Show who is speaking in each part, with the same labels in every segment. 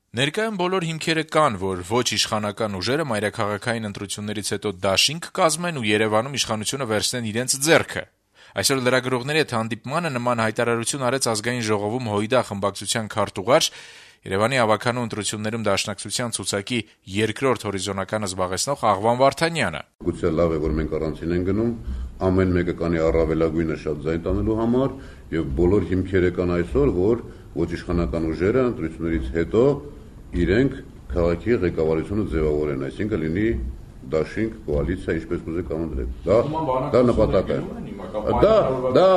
Speaker 1: Ներկայում բոլոր հիմքերը կան, որ ոչ իշխանական ուժերը մայրաքաղաքային ընտրություններից հետո դաշինք կազմեն ու Երեւանում իշխանությունը վերցնեն իրենց ձեռքը։ Այսօր լրագրողների հետ հանդիպմանը նման հայտարարություն արեց Ազգային ժողովում ՀՅԴ խմբակցության քարտուղար, Երեւանի ավականու ընտրություններում Դաշնակցության ցուցակի երկրորդ հորիզոնականը զբաղեցնող Աղվան Վարդանյանը։
Speaker 2: Գուցե լավ է, որ մենք առանցին ենք գնում, ամեն մեկը կանի առավելագույնը շատ ձայն տանելու համար, եւ բոլոր հիմքերը կան այսօր, որ ոչ իշխանական ուժերը ընտրություններից հետո իրենք քաղաքի ղեկավարությունը ձևավորեն, այսինքն լինի դաշինք, կոալիցիա, ինչպես կուզեք անվանեք։ Դա նպատակը է։ Դա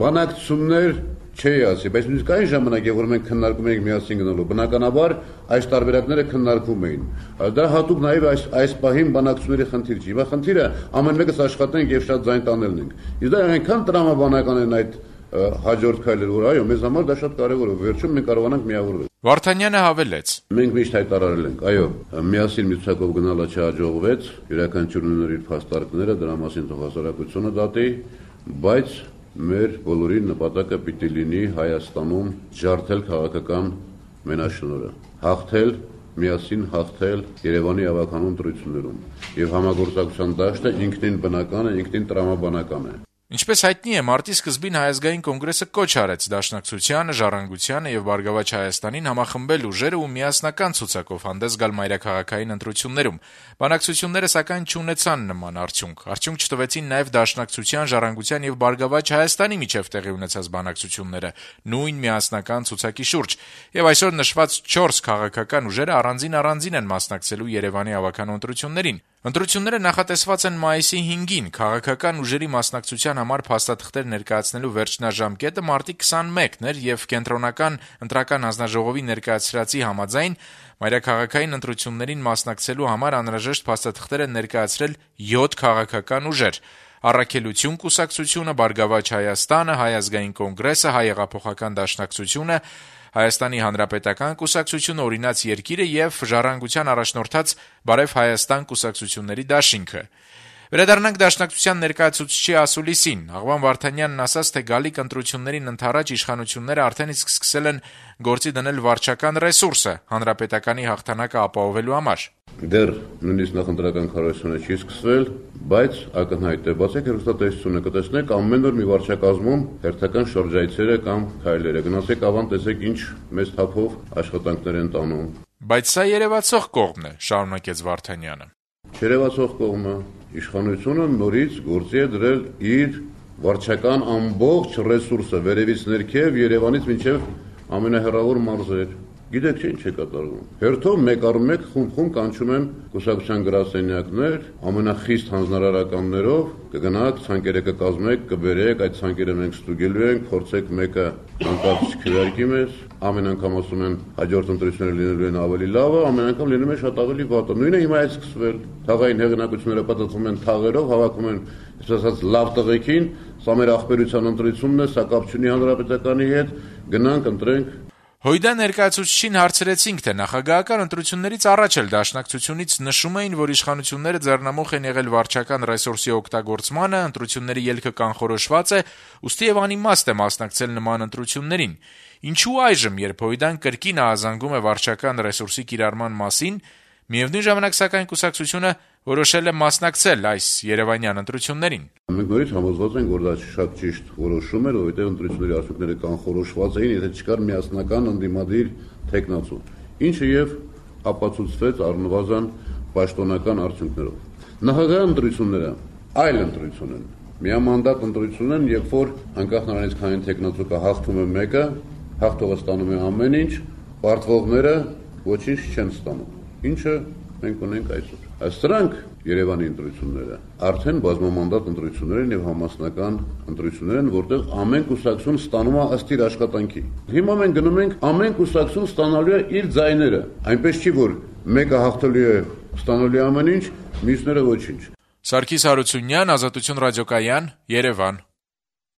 Speaker 2: բանակցություններ չի ասի, բայց նույնիսկ այն ժամանակ, որ մենք քննարկում էինք միասին գնալու, բնականաբար այս տարբերակները քննարկվում էին։ Դա հատուկ նաև այս պահին բանակցությունների խնդիր չի։ Հիմա խնդիրը ամեն մեկս աշխատենք եւ շատ ձայն տանելն ենք։ Իսկ դա այնքան տրամաբանական են այդ հաջորդ քայլերը, որ այո, մեզ համար դա շատ կարեւոր է, վերջում մենք կարողանանք միավորվել։
Speaker 1: Վարդանյանը հավելեց.
Speaker 2: Մենք միշտ հայտարարել ենք, այո, միասին մի ցուցակով գնալը չհաջողվեց, յուրաքանչյուրն ուներ իր փաստարկները, դրա մասին թող հասարակությունը դատի, բայց մեր բոլորի նպատակը պիտի լինի Հայաստանում ջարդել քաղաքական մենաշնորհը, հաղթել, միասին հաղթել Երևանի ավականու ընտրություններում, եւ համագործակցության դաշտը ինքնին բնական է, ինքնին տրամաբանական է։
Speaker 1: Ինչպես հայտնի է, մարտի սկզբին Հայազգային կոնգրեսը կոչ արեց Դաշնակցությանը, Ժառանգությանը եւ Բարգավաճ Հայաստանին համախմբել ուժերը ու միասնական ցուցակով հանդես գալ մայրաքաղաքային ընտրություններում։ Բանակցությունները սակայն չունեցան նման արդյունք։ Արդյունք չտվեցին նաեւ Դաշնակցության, Ժառանգության եւ Բարգավաճ Հայաստանի միջև տեղի ունեցած բանակցությունները նույն միասնական ցուցակի շուրջ։ Եվ այսօր նշված 4 քաղաքական ուժերը առանձին են մասնակցելու Երևանի ավականու ընտրություններին։ Ընտրությունները նախատեսված են մայիսի 5-ին, քաղաքական ուժերի մասնակցության համար փաստաթղթեր ներկայացնելու վերջնաժամկետը մարտի 21-ն էր եւ կենտրոնական ընտրական հանձնաժողովի ներկայացրածի համաձայն մայրաքաղաքային ընտրություններին մասնակցելու համար անհրաժեշտ փաստաթղթեր են ներկայացրել 7 քաղաքական ուժեր՝ Առաքելություն կուսակցությունը, Բարգավաճ Հայաստանը, Հայ ազգային կոնգրեսը, Հայ հեղափոխական դաշնակցությունը, Հայաստանի հանրապետական կուսակցությունը, Օրինաց երկիրը եւ Ժառանգության առաջնորդած Բարև Հայաստան կուսակցությունների դաշինքը։ Վերադառնանք Դաշնակցության ներկայացուցիչի ասուլիսին։ Աղվան Վարդանյանն ասաց, թե գալիք ընտրություններին ընդառաջ իշխանությունները արդեն իսկ սկսել են գործի դնել վարչական ռեսուրսը հանրապետականի հաղթանակը ապահովելու համար։
Speaker 2: Դեռ նույնիսկ նախընտրական քարոզությունը չի սկսվել, բայց ակնհայտ է, բացեք հեռուստատեսությունը, կտեսնեք ամեն օր մի վարչակազմում հերթական շրջայցերը կամ քայլերը։ Գնացեք Ավան, տեսեք ինչ մեծ թափով աշխատանքներ են տանում։
Speaker 1: Բայց սա երևացող կողմն է, շարունակեց Վարդանյանը։
Speaker 2: Չերևացող կողմը իշխանությունը նորից գործի է դրել իր վարչական ամբողջ ռեսուրսը վերևից ներքև, Երևանից մինչև ամենահեռավոր մարզեր։ Գիտեք չէ ինչ է կատարվում։ Հերթով մեկ առ մեկ խումբ կանչում են կուսակցության գրասենյակներ, ամենախիստ հանձնարարականներով, կգնաք, ցանկերը կկազմեք, կբերեք, այդ ցանկերը մենք ստուգելու ենք, փորձեք մեկը անկած չքվեարկի մեզ, ամեն անգամ ասում են հաջորդ ընտրությունները լինելու են ավելի լավը, ամեն անգամ լինում է շատ ավելի վատը։ Նույնը հիմա է սկսվել։ Թաղային հեղինակությունները պատտվում են թաղերով, հավաքում են, այսպես ասած, լավ տղեկին, սա մեր ախպերության ընտրությունն է, սա կապ չունի հանրապետականի հետ, գնանք ընտրենք։
Speaker 1: ՀՅԴ ներկայացուցչին հարցրեցինք, թե նախագահական ընտրություններից առաջ էլ Դաշնակցությունից նշում էին, որ իշխանությունները ձեռնամուխ են եղել վարչական ռեսուրսի օգտագործմանը, ընտրությունների ելքը կանխորոշված է, ուստի եւ անիմաստ է մասնակցել նման ընտրություններին։ Ինչու այժմ, երբ ՀՅԴ-ն կրկին ահազանգում է վարչական ռեսուրսի կիրառման մասին, միևնույն ժամանակ սակայն կուսակցությունը որոշել է մասնակցել այս երևանյան ընտրություններին։
Speaker 2: Մենք նորից համոզված ենք, որ դա շատ ճիշտ որոշում էր, որովհետև ընտրությունների արդյունքները կանխորոշված էին, եթե չկար միասնական ընդդիմադիր թեկնածու, ինչը եւ ապացուցվեց առնվազն պաշտոնական արդյունքներով։ Նախագահ ընտրությունները այլ ընտրություն են, միամանդատ ընտրություն են, երբ որ անկախ նրանից քանի թեկնածու կա, հաղթում է մեկը, հաղթողը ստանում է ամեն ինչ, պարտվողները ոչինչ չեն ստանում, ինչը մենք ունենք այսօր։ Սրանք Երևանի ընտրությունները արդեն բազմամանդատ ընտրություններ են եւ համասնական ընտրություններ են, որտեղ ամեն կուսակցություն ստանում է ըստ իր աշխատանքի։ Հիմա մենք գնում ենք ամեն կուսակցություն ստանալու է իր ձայները։ Այնպես չի, որ մեկը հաղթելու է ստանալու ամեն ինչ, մյուսները ոչինչ։
Speaker 1: Սարգիս Հարությունյան, Ազատություն ռադիոկայան, Երևան։